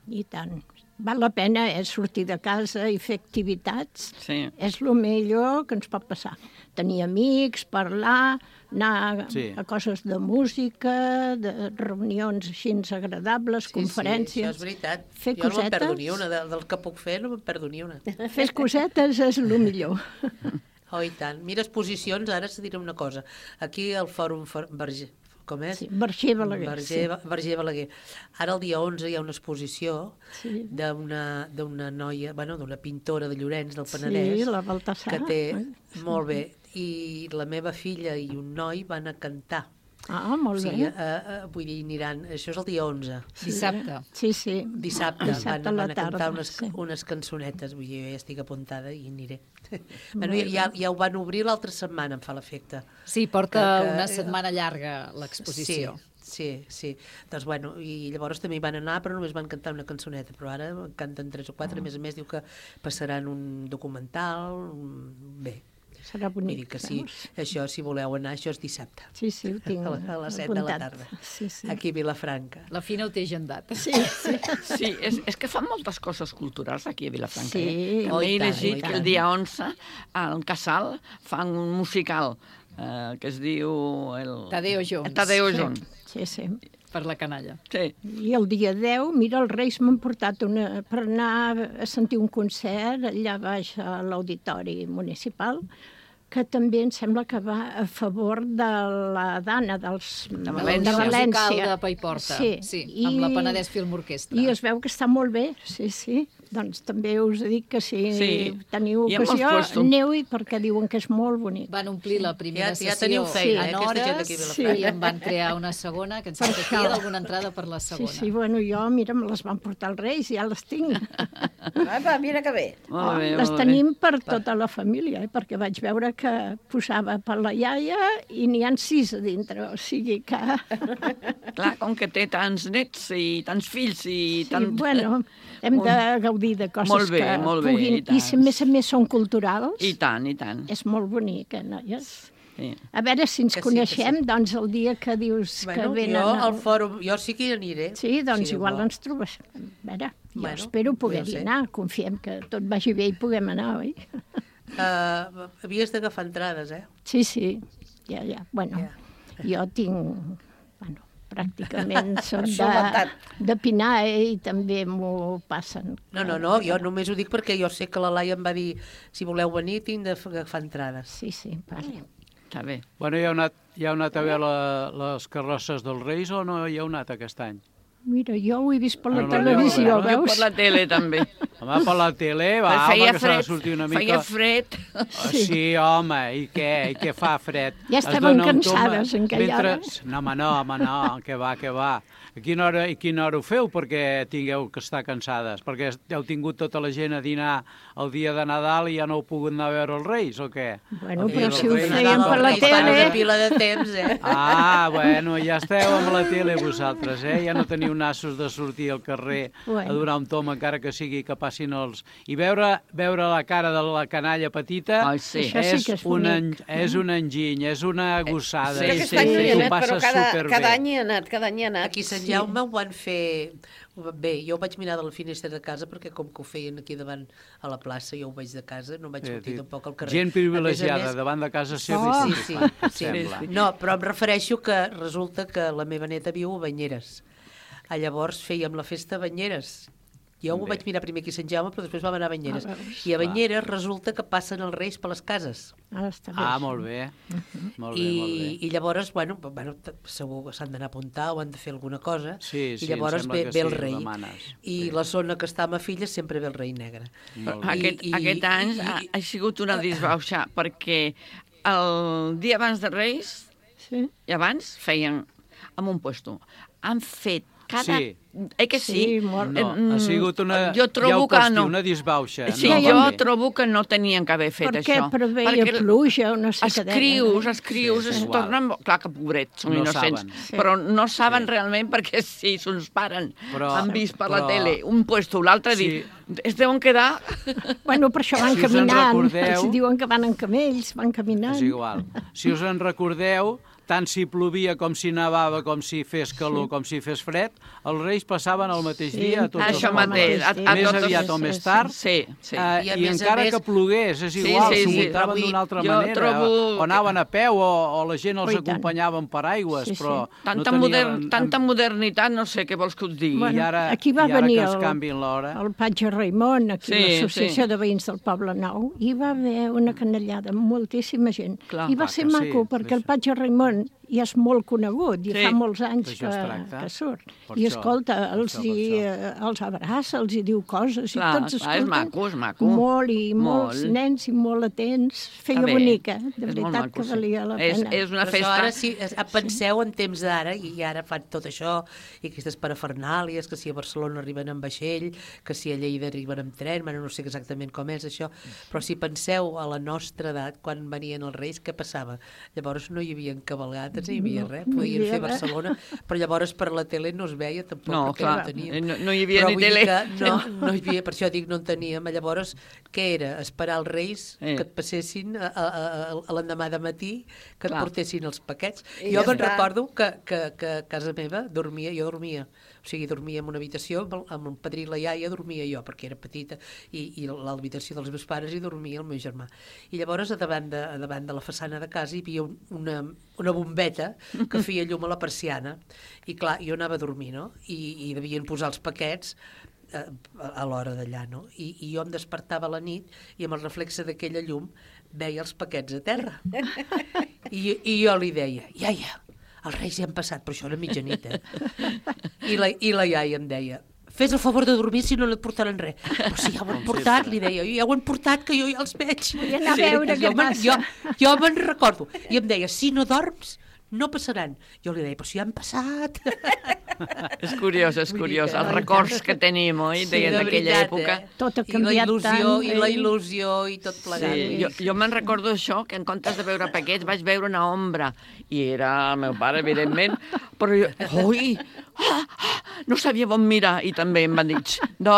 I tant. Val la pena sortir de casa i fer activitats. Sí. És el millor que ens pot passar. Tenir amics, parlar, anar a coses de música, de reunions així agradables, conferències. Sí, això és veritat. Fer jo no me'n perdo cosetes. ni una, del que puc fer no me'n perdo ni una. Fer cosetes és el millor. Oh, i tant. Mira, exposicions, ara se diré una cosa. Aquí al Fòrum Verger, com és? Sí, Verger Balaguer. Verger Balaguer. Ara el dia 11 hi ha una exposició d'una noia, d'una pintora de Llorenç del Penedès, la Baltasar. que té, molt bé, i la meva filla i un noi van a cantar. Ah, molt bé. Vull dir, aniran... Això és el dia 11. Dissabte. Sí, sí. Dissabte a la van a cantar tarda. unes cançonetes. Vull dir, jo ja estic apuntada i aniré. Bueno, ja ho van obrir l'altra setmana, em fa l'efecte. Sí, porta una setmana llarga l'exposició. Sí. Doncs, bueno, i llavors també hi van anar, però només van cantar una cançoneta, però ara canten 3 o 4, a més diu que passaran un documental, bé. Serà bonic. Vull dir que sí, això, si voleu anar, això és dissabte. Sí, ho tinc a les 7 de la tarda. Sí. Aquí a Vilafranca. La Fina ho té agendat. Sí. Sí, és que fan moltes coses culturals aquí a Vilafranca. Sí. També he llegit que el dia 11 al Casal fan un musical que es diu... Tadeo Jones. Tadeo Jones. Sí. Per la canalla. Sí. I el dia 10, mira, els Reis m'han portat per anar a sentir un concert allà baix a l'Auditori Municipal, que també em sembla que va a favor de la Dana de València. Musical de Paiporta, sí, amb la Penedès Film Orquestra. I es veu que està molt bé, sí. Doncs també us dic que si teniu ocasió, aneu-hi perquè diuen que és molt bonic. Van omplir la primera Ja teniu sessió feina, en hores i en van crear una segona, que ens sembla que hi ha alguna entrada per la segona. Sí, bueno, jo, mira, me les van portar els Reis, ja les tinc. Apa, mira que bé. Les tenim per tota la família, perquè vaig veure que posava per la iaia i n'hi ha 6 a dintre, o sigui que... Clar, com que té tants nets i tants fills i tant... Bueno, hem de gaudir de coses que puguin... I si a més són culturals... I tant. És molt bonic, noies? Sí. A veure si ens coneixem, doncs, el dia que dius que venen... Jo al fòrum, jo sí que hi aniré. Sí, doncs igual ens trobes. A veure, jo espero poder-hi anar. Confiem que tot vagi bé i puguem anar, oi? Havies d'agafar entrades, Sí, ja. Bueno, jo tinc... Pràcticament són de Pinar i també m'ho passen. No, jo només ho dic perquè jo sé que la Laia em va dir si voleu venir tinc d'agafar entrades. Sí, vale. Està bé. Bueno, hi heu anat a veure les carrosses dels Reis o no hi heu anat aquest any? Mira, jo ho he vist per la televisió, veus? Jo per la tele, també. Home, per la tele, home, que s'ha de sortir una mica... Feia fred. Sí, home, i què fa fred? Ja estaven cansades en aquella hora. No, que va. A quina hora ho feu perquè tingueu que estar cansades? Perquè heu tingut tota la gent a dinar el dia de Nadal i ja no heu pogut anar a veure els Reis, o què? Bueno, però si ho feien per la tele... Una pila de temps, Bueno, ja esteu amb la tele vosaltres, Ja no teniu nassos de sortir al carrer a donar un tom, encara que sigui que passin els... I veure la cara de la canalla petita és un enginy, és una gossada. Sí, aquest any no hi he anat, però cada any he anat. Aquí a Sant Jaume ho van fer... Bé, jo ho vaig mirar de la finestra de casa perquè com que ho feien aquí davant a la plaça, jo ho veig de casa, no vaig sortir tampoc al carrer. Gent privilegiada davant de casa seva. Sí. No, però em refereixo que resulta que la meva neta viu a Banyeres. Llavors fèiem la festa a Banyeres. Jo ho vaig mirar primer aquí a Sant Jaume, però després vam anar a Banyeres. I a Banyeres resulta que passen els Reis per les cases. Molt bé. I llavors, bueno, segur que s'han d'anar a apuntar o han de fer alguna cosa. Sí, i llavors ve el rei. I la zona que està a ma filla sempre ve el rei negre. Aquest any ha sigut una disbauxa, perquè el dia abans de Reis i abans feien en un puesto. Han fet Que sí? Sí, molt. No, ha sigut una... Jo trobo que no. Una disbauxa. Sí, jo trobo que no tenien que haver fet això. Perquè preveia pluja o no sé què deien. Els escrius es tornen... Clar que pobrets, són innocents, però no saben realment perquè si s'ons paren, han vist per la tele un puesto o l'altre, es deuen quedar... Bueno, per això van caminant. Si diuen que van en camells, van caminant. És igual. Si us en recordeu, tant si plovia com si nevava, com si fes calor, com si fes fred, els Reis passaven el mateix dia a tots els mateix, més aviat o més tard, i encara que plogués, és igual, s'ho muntaven d'una altra manera, o anaven a peu, o la gent els acompanyava amb paraigües, però tanta modernitat, no sé què vols que us digui. Aquí va venir el Patge Raimon, aquí l'Associació de Veïns del Poble Nou, i va haver una canellada amb moltíssima gent. I va ser maco, perquè el Patge Raimon i és molt conegut, i fa molts anys que surt. I escolta, els abraça, els hi diu coses, i tots escolten. És maco. Molt, i molts nens i molt atents. Feia bonica, de veritat que valia la pena. És una festa. Ara, si penseu en temps d'ara, i ara fan tot això, i aquestes parafernàlies, que si a Barcelona arriben en vaixell, que si a Lleida arriben en tren, no sé exactament com és això, però si penseu a la nostra edat, quan venien els Reis, què passava? Llavors no hi havia cavalgades, no hi havia res, podien fer Barcelona, però llavors per la tele no es veia tampoc, perquè no teníem. No hi havia ni tele. No hi havia, per això dic, no en teníem. Llavors, què era? Esperar els Reis que et passessin l'endemà de matí, que et portessin els paquets. Jo me'n recordo que a casa meva jo dormia, o sigui, dormia en una habitació, amb el padrí i la iaia dormia jo, perquè era petita, i l'habitació dels meus pares hi dormia el meu germà. I llavors, davant de la façana de casa hi havia una bombeta que feia llum a la persiana, i clar, jo anava a dormir, no? I devien posar els paquets a l'hora d'allà, no? I jo em despertava a la nit i amb el reflexe d'aquella llum veia els paquets a terra. I jo li deia, iaia, els Reis ja han passat, però això era mitjanit, I la iaia em deia, fes el favor de dormir si no et portaran res. Però si ja ho han portat, li deia, ja ho han portat, que jo ja els veig. Vull anar a veure què passa. Jo me'n recordo. I em deia, si no dorms, no passaran. Jo li deia, però si ja han passat. És curiós, els records que tenim, oi, d'aquella època. Tot ha canviat tant. I la il·lusió i tot plegat. Jo me'n recordo això, que en comptes de veure paquets vaig veure una ombra, i era el meu pare, evidentment, però jo, no sabia on mirar, i també em van dir, no,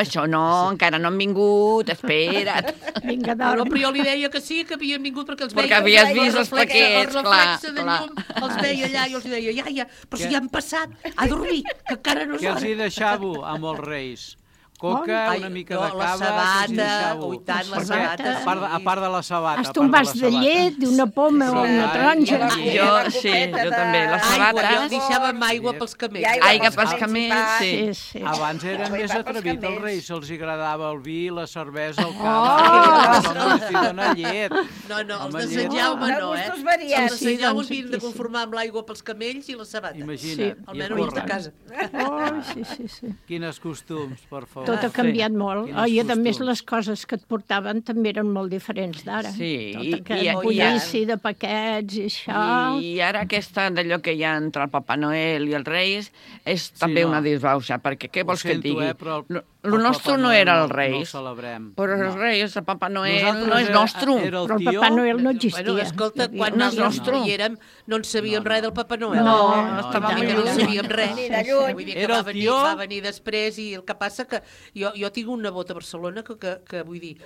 això no, encara no han vingut, espera't. Vinga, dorm. Però jo li deia que sí, que havien vingut, perquè els veia. Perquè havies vist els paquets, clar. El reflexe de llum, els veia allà, i els deia, iaia, però si ja han passat, a dormir, que encara no és hora. Què els hi deixàveu amb els Reis? Coca, una mica de cava... La sabata, tant, la sabata. A part de la sabata. Hasta un vas de llet, d'una poma o una taronja. Jo també, les sabates... Jo deixàvem aigua pels camells. Aigua pels camells, sí. Abans eren més atrevits els Reis, se'ls agradava el vi, la cervesa, el cava, els dona llet. No, els de Sant Jaume no, Els de Sant Jaume havien de conformar amb l'aigua pels camells i la sabata. Imagina't. Almenys de casa. Sí. Quines costums, per favor. Tot ha canviat molt. I a més les coses que et portaven també eren molt diferents d'ara. Sí. Tot aquest bullici de paquets i això. I ara aquesta d'allò que hi ha entre el Papa Noel i els Reis és també una disbauxa, perquè què vols que et digui? El nostre no era els Reis. No ho celebrem. Però els Reis, el Papa Noel no és nostre. Però el Papa Noel no existia. Bueno, escolta, quan nosaltres hi érem no en sabíem res del Papa Noel. No sabíem res. Vull dir que va venir després, i el que passa que jo tinc un nebot a Barcelona que vull dir,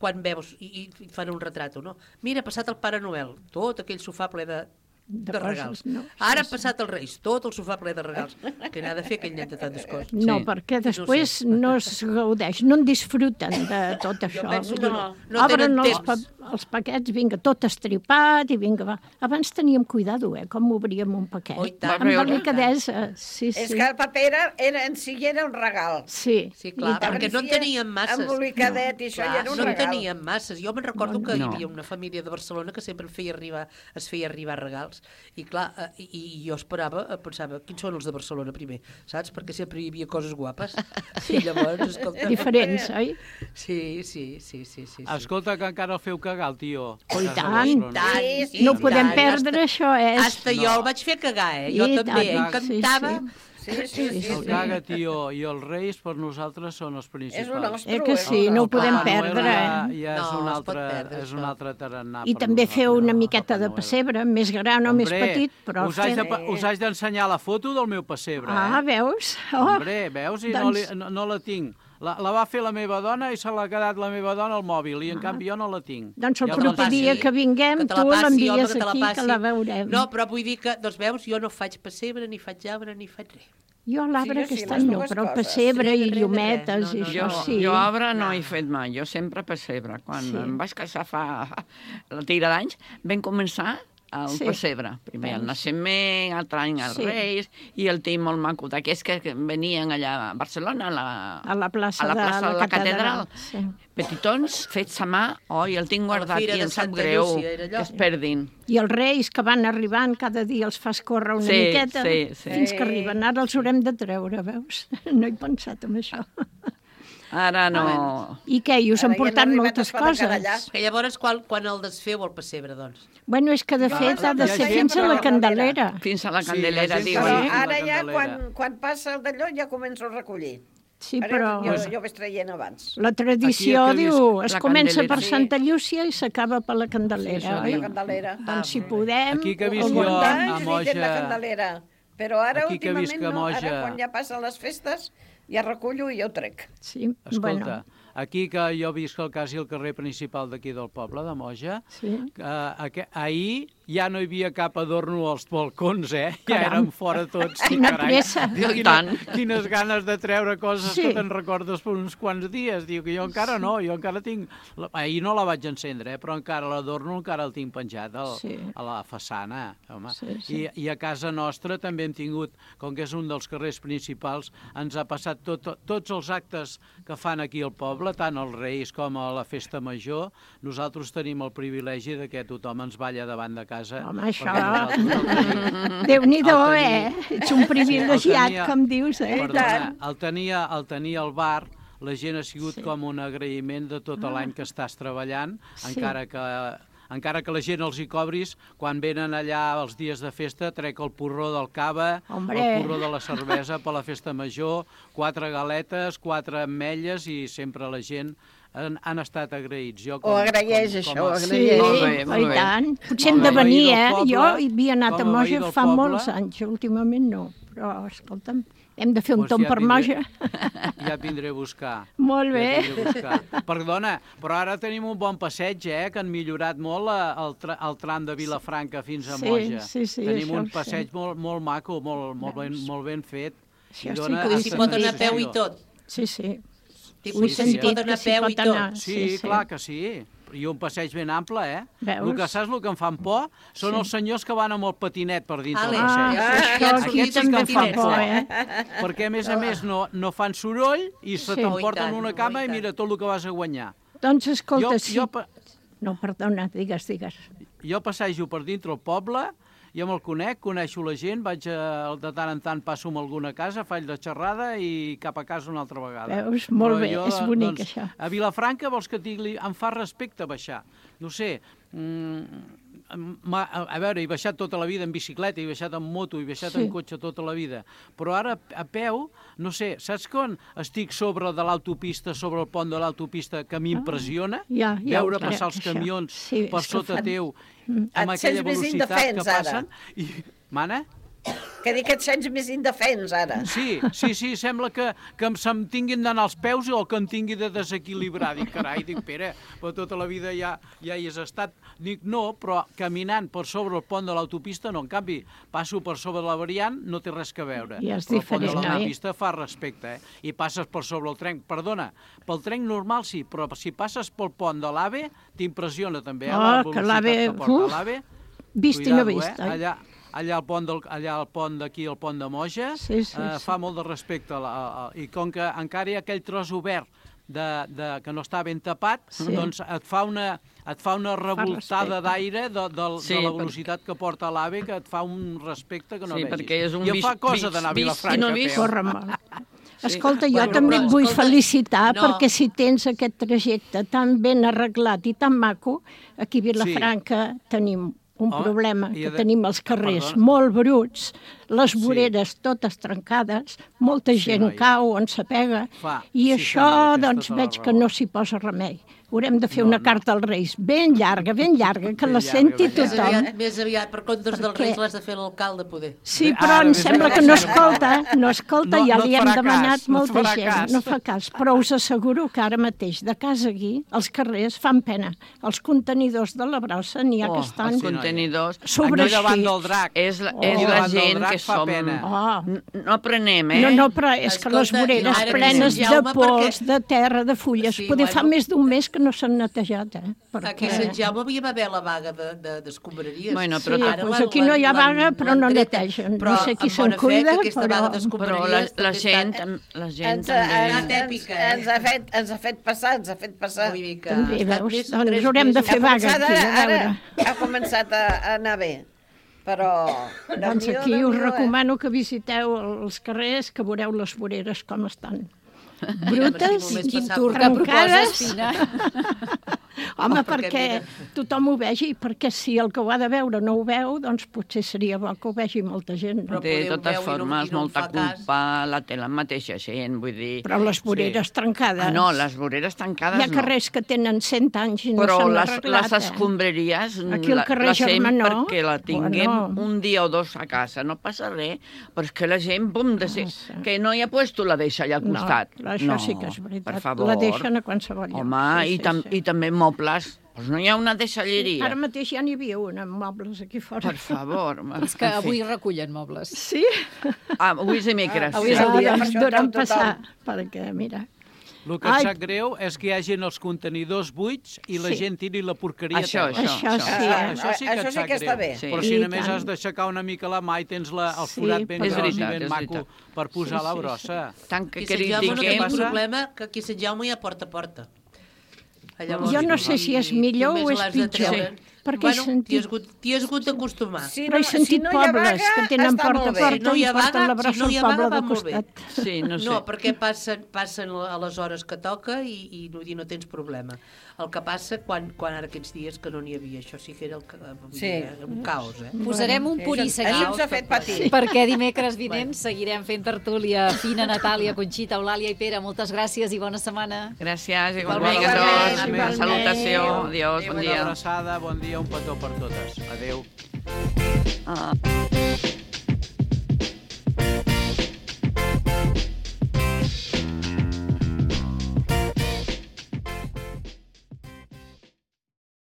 quan veus i fan un retrat, no? Mira, ha passat el Pare Noel, tot aquell sofà ple de regals. Ara ha passat els Reis, tot el sofà ple de regals. Que n'ha de fer aquell nen de tantes coses? No, perquè després no es gaudeix, no en disfruten de tot això. Obren els paquets, vinga, tot estripat, i vinga, va. Abans teníem cuidado, com obríem un paquet. Amb delicadesa, sí. És que el paper en si era un regal. Sí. Sí, clar, perquè no en teníem masses. Embolicadet i això ja era un regal. No en teníem masses. Jo me'n recordo que hi havia una família de Barcelona que sempre es feia arribar regals. I clar, i jo pensava, quins són els de Barcelona primer, saps? Perquè sempre hi havia coses guapes. Sí, llavors, escolta... Diferents, oi? Sí. Escolta, que encara el feu cagar, el tio. I tant. No podem perdre això, Hasta jo el vaig fer cagar, Jo també, em cantava... El Caga Tió i els Reis per nosaltres són els principals. És un nostre. Que sí, no ho podem perdre. Ja és un altre tarannà. I també feu una miqueta de pessebre, més gran o més petit, però... Us haig d'ensenyar la foto del meu pessebre. Veus? Hombre, veus? I no la tinc. La va fer la meva dona i se l'ha quedat la meva dona al mòbil, i en canvi jo no la tinc. Doncs el proper dia que vinguem, tu l'envies aquí, que la veurem. No, però vull dir que, doncs veus, jo no faig pessebre, ni faig arbre, ni faig res. Jo l'arbre aquest any no, però el pessebre i llumetes i això sí. Jo arbre no he fet mai, jo sempre pessebre. Quan em vaig casar fa la tira d'anys, vam començar el pessebre. Primer el naixement, altre any els Reis, i el tinc molt maco, d'aquests que venien allà a Barcelona, a la plaça de la catedral. Petitons, fets a mà, i el tinc guardat i em sap greu que es perdin. I els Reis que van arribant, cada dia els fas córrer una miqueta, fins que arriben. Ara els haurem de treure, veus? No he pensat en això. Ara no. I què? I us han portat moltes coses. Que llavors, quan el desfeu el pessebre, doncs? Bueno, és que de fet ha de ser fins a la Candelera. Fins a la Candelera, diuen. Ara ja, quan passa el d'allò, ja començo a recollir. Sí, però... Jo vaig traient abans. La tradició diu, es comença per Santa Llúcia i s'acaba per la Candelera, oi? La Candelera. Doncs si podem... Aquí que visc jo a Moja... la Candelera. Però ara, últimament, no. Ara, quan ja passen les festes, ja recullo i ja ho trec. Sí, escolta, aquí que jo visc quasi al carrer principal d'aquí del poble, de Moja, ahir ja no hi havia cap adorno als balcons, Ja érem fora tots. Quina pressa. Quines ganes de treure coses que te'n recordes per uns quants dies. Diu que jo encara no, jo encara tinc... Ahir no la vaig encendre, però encara l'adorno encara el tinc penjat a la façana. I a casa nostra també hem tingut, com que és un dels carrers principals, ens ha passat tots els actes que fan aquí al poble, tant els Reis com a la Festa Major. Nosaltres tenim el privilegi que tothom ens balla davant de casa. Home, això... Déu-n'hi-do, Ets un privilegiat, com dius, Perdona, el tenir al bar, la gent ha sigut com un agraïment de tot l'any que estàs treballant, encara que la gent els hi cobris, quan venen allà els dies de festa, trec el porró del cava, el porró de la cervesa per la Festa Major, 4 galetes, 4 ametlles, i sempre la gent han estat agraïts. Ho agraeix, això, ho agraeix. Sí, i tant. Potser hem de venir, Jo hi havia anat a Moja fa molts anys, últimament no, però, escolta'm, hem de fer un tomb per Moja. Ja vindré a buscar. Molt bé. Perdona, però ara tenim un bon passeig, que han millorat molt el tram de Vilafranca fins a Moja. Tenim un passeig molt maco, molt ben fet. I s'hi pot anar a peu i tot. Sí. Ho he sentit que s'hi pot anar. Sí, clar que sí. I un passeig ben ample, El que saps, el que em fan por, són els senyors que van amb el patinet per dins del passeig. Aquí també em fan por, Perquè, a més, no fan soroll i se t'emporten una cama i mira tot el que vas a guanyar. Doncs escolta, No, perdona, digues. Jo passejo per dintre el poble, jo me'l coneixo la gent, vaig de tant en tant, passo amb alguna casa, faig la xerrada i cap a casa una altra vegada. Veus? Molt bé, és bonic, això. A Vilafranca, vols que et digui, em fa respecte baixar. No sé, a veure, he baixat tota la vida en bicicleta, he baixat en moto, he baixat en cotxe tota la vida, però ara a peu, no sé, saps quan estic sobre de l'autopista, sobre el pont de l'autopista, que m'impressiona veure passar els camions per sota teu, amb aquella velocitat que passen. Mana? Que dic que et sents més indefens, ara. Sí, sembla que se'm tinguin d'anar als peus o que em tingui de desequilibrar. Dic, carai, Pere, però tota la vida ja hi has estat. Dic, no, però caminant per sobre el pont de l'autopista, no, en canvi, passo per sobre la variant, no té res que veure. Ja és diferent, el pont de l'autopista fa respecte, I passes per sobre el tren. Perdona, pel tren normal sí, però si passes pel pont de l'AVE, t'impressiona també, la velocitat que porta l'AVE. Vist i no vist, Allà al pont d'aquí, el pont de Moja, fa molt de respecte. I com que encara hi ha aquell tros obert que no està ben tapat, doncs et fa una revoltada d'aire de la velocitat que porta l'AVE, que et fa un respecte que no vegis. Perquè és un I em fa cosa d'anar a Vilafranca a peu. Corre mal. Escolta, jo també et vull felicitar perquè si tens aquest trajecte tan ben arreglat i tan maco, aquí a Vilafranca tenim un problema que tenim als carrers molt bruts, les voreres totes trencades, molta gent cau on s'apega, i això doncs veig que no s'hi posa remei. Haurem de fer una carta als Reis ben llarga, que la senti tothom. Més aviat, per comptes dels Reis l'has de fer l'alcalde, poder. Sí, però em sembla que no escolta, ja li hem demanat molta gent, no fa cas, però us asseguro que ara mateix, de casa aquí, els carrers fan pena. Els contenidors de la brossa n'hi ha que estan sobreeixits. És la gent que som... No aprenem, No, però és que les voreres plenes de pols, de terra, de fulles, poder fa més d'un mes que no s'han netejat, Aquí a Sant Jaume havia d'haver la vaga d'escombraries. Sí, doncs aquí no hi ha vaga, però no netegen. No sé qui se'n cuida, però la gent ens ha fet passar. També, veus? Doncs haurem de fer vaga aquí, a veure. Ha començat a anar bé. Però... Doncs aquí us recomano que visiteu els carrers, que veureu les voreres com estan. Brutes, trencades. Home, perquè tothom ho vegi, perquè si el que ho ha de veure no ho veu, doncs potser seria bo que ho vegi molta gent. De totes formes, molta culpa la té la mateixa gent, vull dir... Però les voreres trencades... No, les voreres trencades no. Hi ha carrers que tenen 100 anys i no s'han arreglat. Però les escombraries la fem perquè la tinguem un dia o dos a casa. No passa res, però és que la gent, que no hi ha puesto la deixa allà al costat. Això sí que és veritat. Per favor. La deixen a qualsevol lloc. Home, i també mobles. Doncs no hi ha una deixalleria. Ara mateix ja n'hi havia una amb mobles aquí fora. Per favor. És que avui recullen mobles. Sí? Avui és dimecres. Avui és el dia. Ens duran passar, perquè, mira... El que em sap greu és que hi hagin els contenidors buits i la gent tiri la porqueria. Això sí que et sap greu. Però si només has d'aixecar una mica la mà i tens el forat ben gros i ben maco per posar la brossa. Tant que critiquem... No té problema que aquí a Sant Jaume hi ha porta a porta. Jo no sé si és millor o és pitjor. Perquè t'hi has hagut d'acostumar. Però he sentit pobles que tenen porta a porta i porten la brossa al poble de costat. No, perquè passen a les hores que toca i no tens problema. El que passa quan ara aquests dies que no n'hi havia, això sí que era un caos. Posarem un punt i seguim, perquè dimecres vinent seguirem fent tertúlia fina. Natàlia, Conxita, Eulàlia i Pere, moltes gràcies i bona setmana. Gràcies, igualment a tots. Una salutació, adiós, bon dia. Una abraçada, bon dia, un petó per totes. Adéu.